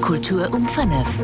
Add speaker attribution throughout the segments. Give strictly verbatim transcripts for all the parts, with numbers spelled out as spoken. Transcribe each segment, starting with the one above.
Speaker 1: Kultur um fënnef.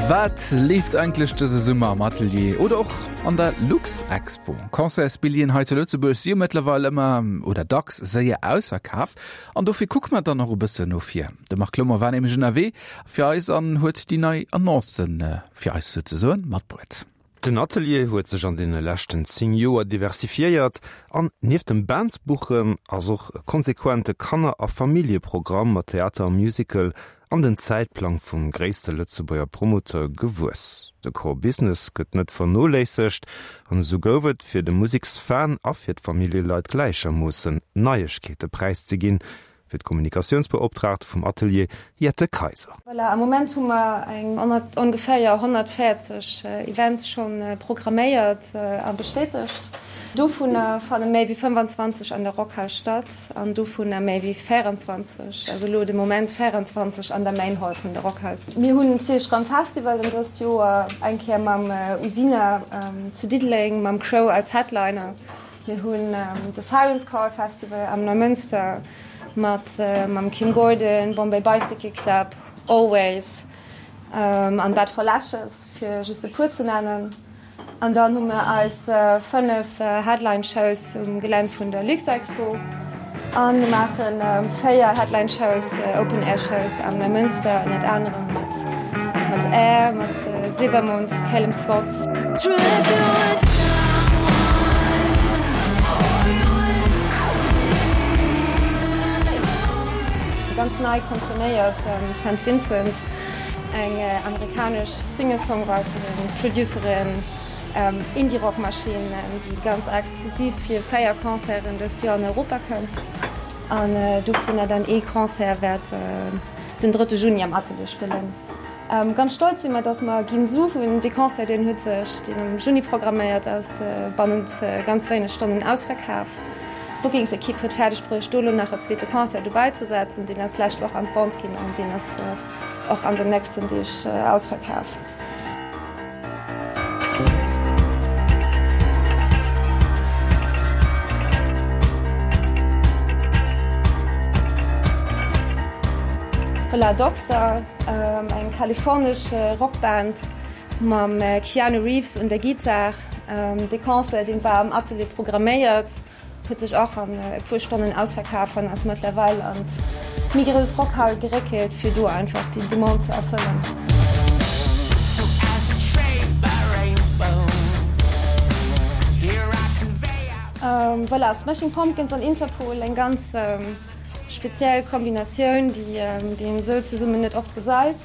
Speaker 2: Wat leeft eigentlech dëse Summer am Atelier oder och an der Luxexpo? Concertsbilljeeën hei zu Lëtzebuerg si jo mëttlerweil ëmmer oder dacks séier ausverkaf an dofir kucke mer dann och e bëssen no vir. De Marc Clement war nämlech ënnerwee fir eis an huet déi nei Annoncen fir eis souzesoen matbruet.
Speaker 3: Den Atelier huet sech an deene leschten zéng Joer diversifiéiert an nieft dem Bands-Buchen ass och e konsequente Kanner a Familljeprogramm mat Theater a Musical an den Zäitplang vum gréisste Lëtzebuerger Promoteur gewuess. De Core Business gëtt net vernoléissegt an esou gouf et fir de Museksfan a fir d'Familljeleit gläichermoossen Neiegkeete präiszeginn, fir d'Kommunikatiounsbeoptraagt vum Atelier Jette Kaiser.
Speaker 4: Voilà, am Moment hu mer eng ongeféier honnertvéierzeg Events schonn programméiert a bestätegt. Dovunner fanne méi wéi fënnefanzwanzeg an der Rockhal statt an dovunner méi wéi véieranzwanzeg, also elo de Moment véieranzwanzeg an der Main Hall vun der Rockhal. Mir hunn natierlech erëm Festivalen dëst Joer, eng Kéier mam Usina zu Diddeleng, mam Crow als Headliner. Mir hunn de Siren's Call Festival am Neumünster mat mam Kim Gordon, Bombay Bicycle Club, Always an Bat for Lashes, fir just e puer ze nennen. An dann hu mir eis fënnef Headline Shows um Gelänn vun der Luxexpo a mir maache véier Headline Shows, Open Air Shows am Neumünster, ënnert anerem mat mat Air, mat Silbermond, Calum Scott. Ganz nei komponéiert Saint Vincent, eng amerikanesch Singer-Songwriterin, Producerin, Indie-Rock-Maschinn, déi ganz exklusiv fir véier Concerten dëst Joer an Europa kënnt an dovunner dann ee Concert wäert den drëtte Juni am Atelier spillen. Ganz stolz si mer, dass mer Ginsu hunn. Dee Concert, deen huet sech, deen am Juni programméiert ass, bannent ganz wéineg Stonnen ausverkaf. D'Bookingsekipp huet fäerdeg bruecht, do elo nach e zweete Concert dobäi ze setzen. Deen ass d'lescht Woch an d'Vente ginn an deen ass och an den nächsten Deeg ausverkaf. Voilà, Doxa, eng kalifornesch Rockband mam Keanu Reeves un der Gittar. Dee Concert, dee war am Atelier programméiert, huet sech och an e puer Stonnen ausverkaf an ass mëttlerweil an d'méi grouss Rockhal geréckelt, fir do einfach déi Demande ze erfëllen. Voilà, Smashing Pumpkins an Interpol, eng ganz speziell Kombinatioun, déi een esou zesummen net oft gesäit,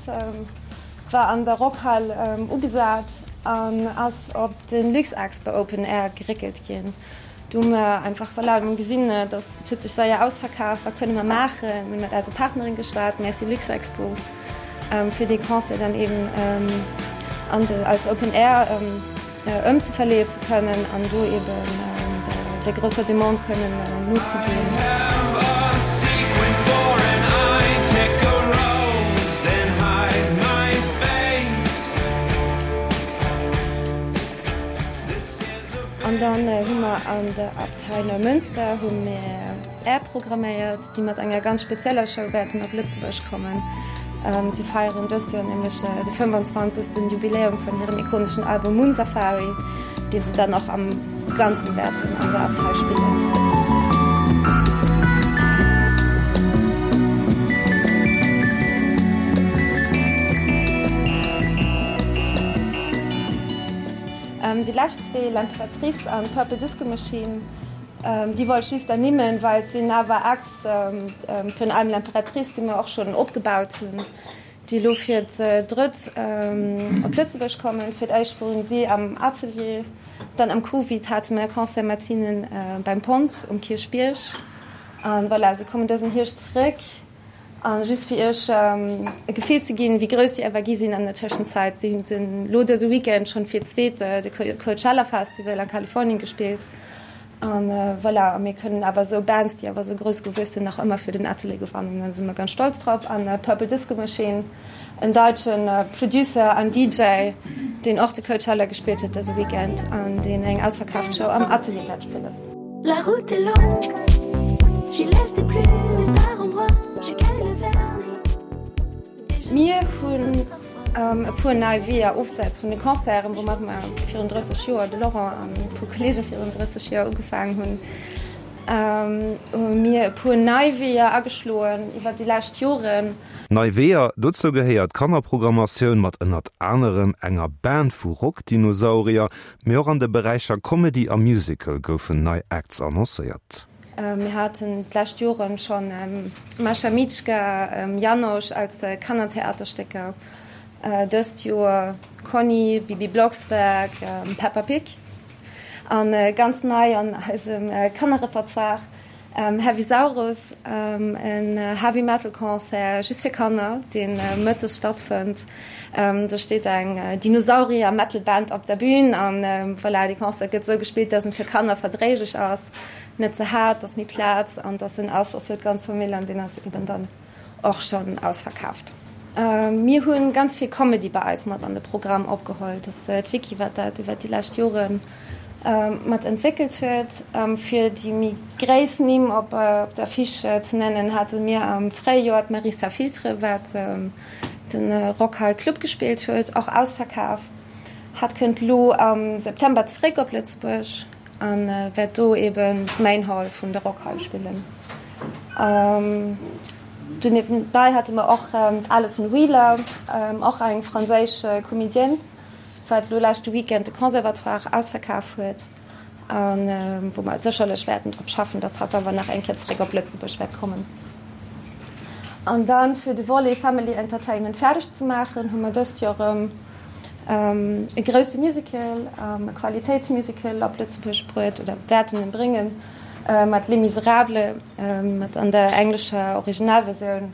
Speaker 4: war an der Rockhal ugesat an ass op de Luxexpo Open Air geréckelt ginn. Do hu mer einfach, voilà, mir hu gesinn, dass et huet sech seier ausverkaf, wat kënne mer maachen? Mir hu mat eise Partnerin geschwat, Merci Luxexpo, fir dee Concert dann eben an de, als Open Air ëmzeverleeë ze kënnen an do eben der grousser Demande kënnen nozeginn. An dann hu mer an der Abtei Neumünster hu mir Air programméiert, déi mat enger ganz spezieller Show wäerten op Lëtzebuerg kommen. Si feieren dëst Joer nämlech de fënnefanzwanzegsten Jubiläum vun hirem ikoneschen Album Moon Safari, dee se dann och am Ganze wäerten an der Abtei spillen. Déi lescht zwee, L'Imperatrice an Purple Disco Machine, déi wollt ech just ernimmen, well et sinn awer Acts, virun allem L'Imperatrice, déi mer och schonn opgebaut hunn, déi elo fir d'drëtt op Lëtzebuerg kommen. Fir d'éischt woren si am Atelier, dann am Covid hate mer e Concert mat hinnen beim Pont um Kierchbierg. A voilà, si kommen dësen Hierscht zeréck. A just fir iech e Gefill ze ginn, wéi grouss déi awer gi sinn an der Tëschenzäit, si hunn elo dëse Weekend schonn fir d'zweet de Coachella Festival a Kalifornien gespillt. A voilà, a mir kënnen awer esou Bands, déi awer esou grouss gewuess sinn, nach ëmmer fir den Atelier gewannen. Da si mer ganz stolz drop. An Purple Disco Machine, en daitsche Producer an D J, deen och de Coachella gespillt huet dëse Weekend an deen eng ausverkaaft Show am Atelier wäert spillen.
Speaker 1: La route est longue, j'y laisse des plumes par endroits, j'ai le vernis.
Speaker 4: Mir hunn e puer nei Weeër ofseits vun de Concerten, woumat mer virun drësseg Joer, de Laurent an e puer Kolleege virun drësseg Joer ugefaangen hunn, hu mir e puer nei Weeër ageschloen iwwer déi lescht Joren.
Speaker 3: Nei Weeër, dozou gehéiert d'Kannerprogrammatioun mat ënnert anerem enger Band vu Rockdinosaurier, mee och an de Beräicher Comedy a Musical goufen nei Acts annoncéiert.
Speaker 4: Mir haten d'lescht Joren schonn Mascha Mitschka, Janosch als Kannertheaterstécker, dëst Joer Conny, Bibi Blocksberg, Peppa Pig a ganz nei an eisem Kannerrepertoire Heavysaurus, en Heavy Metal Concert just fir Kanner, dee mëttes stattfënnt. Do steet eng Dinosaurier Metal Band op der Bün an voilà, dee Concert gëtt esou gespillt, dass en fir Kanner verdréiglech ass. Net ze haart, dass méi Plaz an dass en Ausfluch fir d'ganz Famill an deen ass eben dann och schonn ausverkaaft. Mir hu ganz vill Comedy bei eis mat an de Programm opgeholl. Dat ass d'Vicky, wat dat iwwert déi lescht Jore mat entwéckelt huet. Fir déi méi gréiss Nimm op der Affiche ze nennen, hate mir am Fréijoer d'Marissa Filtre, wat de Rockhal Club gespillt huet, och ausverkaf. Hat kënnt elo am September zeréck op Lëtzebuerg. A wäert do eben d'Main Hall vun der Rockhal spillen. Do niewebäi hate mer och d'Alison Wheeler, och eng franséisch Comedienne, wat elo leschte Weekend de Conservatoire ausverkaf huet a wou mer sécherlech wäerten drop schaffen, datt hatt awer nach eng Kéier zeréck op Lëtzebuerg wäert kommen. An dann, fir de Volet Family Entertainment fäerdeg ze maachen, hu mer dëst Joer erëm e grousse Musical, e Qualitéitsmusical op Lëtzebuerg bruet oder wäerten en bréngen, mat Les Misérables, mat an der englescher Originalversioun.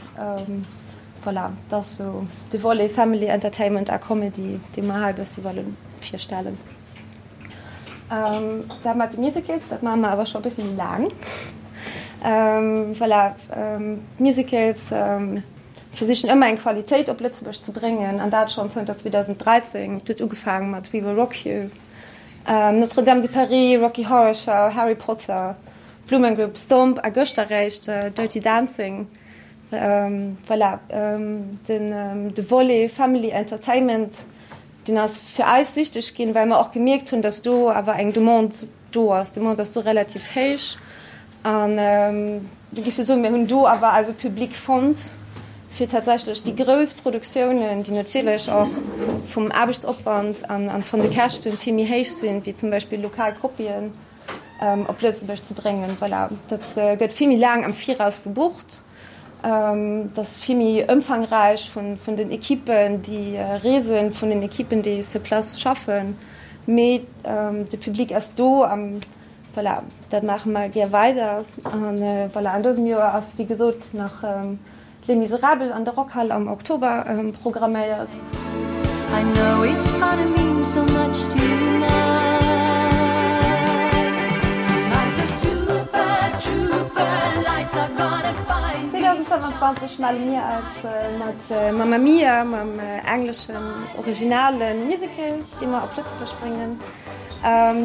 Speaker 4: Voilà, dat ass sou de Volet Family Entertainment a Comedy, dee mer hei e bëssi wëlle virstellen. Dat mat de Musicals, dat maache mer awer scho e bëssi méi laang. Voilà, d'Musicals versichen ëmmer eng Qualitéit op Lëtzebuerg ze bréngen an dat schonn zënter zweedausenddräizéng. Et huet ugefaange mat We Will Rock You, Notre-Dame de Paris, Rocky Horror Show, Harry Potter, Blue Man Group, Stomp a gëschter eréischt Dirty Dancing. Voilà, den de Volet Family Entertainment, deen ass fir eis wichteg ginn, well mer och gemierkt hunn, datt do awer eng Demande do ass. D'Demande ass do relativ héich an mir géife soen, mir hunn do awer eise Public fonnt, fir tatsächlech déi grouss Produktiounen, déi natierlech och vum Aarbechtsopwand an vun de Käschte vill méi héich sinn, wéi zum Beispill lokal Kopien, op Lëtzebuerg ze bréngen. Voilà, dat gëtt vill méi laang am Viraus gebucht. Dat ass vill méi ëmfangräich vun den Ekippen, déi reesen, vun den Ekippen, déi sur place schaffen. Mee de Public ass do a voilà, dat maache mer gär weider. An voilà, an dësem Joer ass, wéi gesot, nach Les Misérables an der Rockhal am Oktober programméiert. I know it's gonna mean so much to you now. Tonight the super trooper lights are gonna find me. zweedausendfënfandzwanzeg melle mir eis mat Mamma Mia, mam engleschen originale Musical, dee mer op Lëtzebuerg bréngen.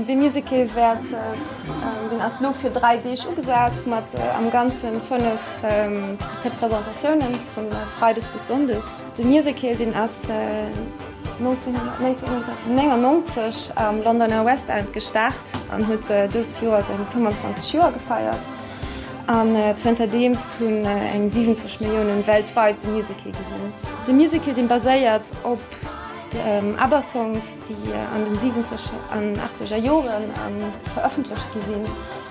Speaker 4: Dee Musical wäert, deen ass elo fir dräi Deeg ugesat, mat am Ganze fënnef Representatiounen, vu Freides bis Sonndes. De Musical, deen ass nonzénhunnertnéngennonzeg am Londoner West End gestart an huet dëst Joer seng fëmmandzwanzeg Joer gefeiert. An zënterdeems hunn eng siwwenzeg Milliounen weltweit de Musical gesinn. De Musical, dee baséiert op ABBA-Songs, déi an den siwwenzeg an achtzeger Joren verëffentlecht gi sinn.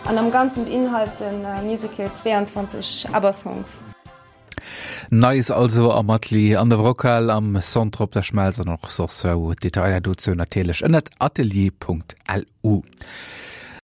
Speaker 4: An am Ganzen beinhalt de Musical zweeanzwanzeg ABBA-Songs.
Speaker 2: Neies also am Atelier an der Rockhal, am Centre op der Schmelz an och soss wou. Detailer dozou natierlech ënnert atelier Punkt lu.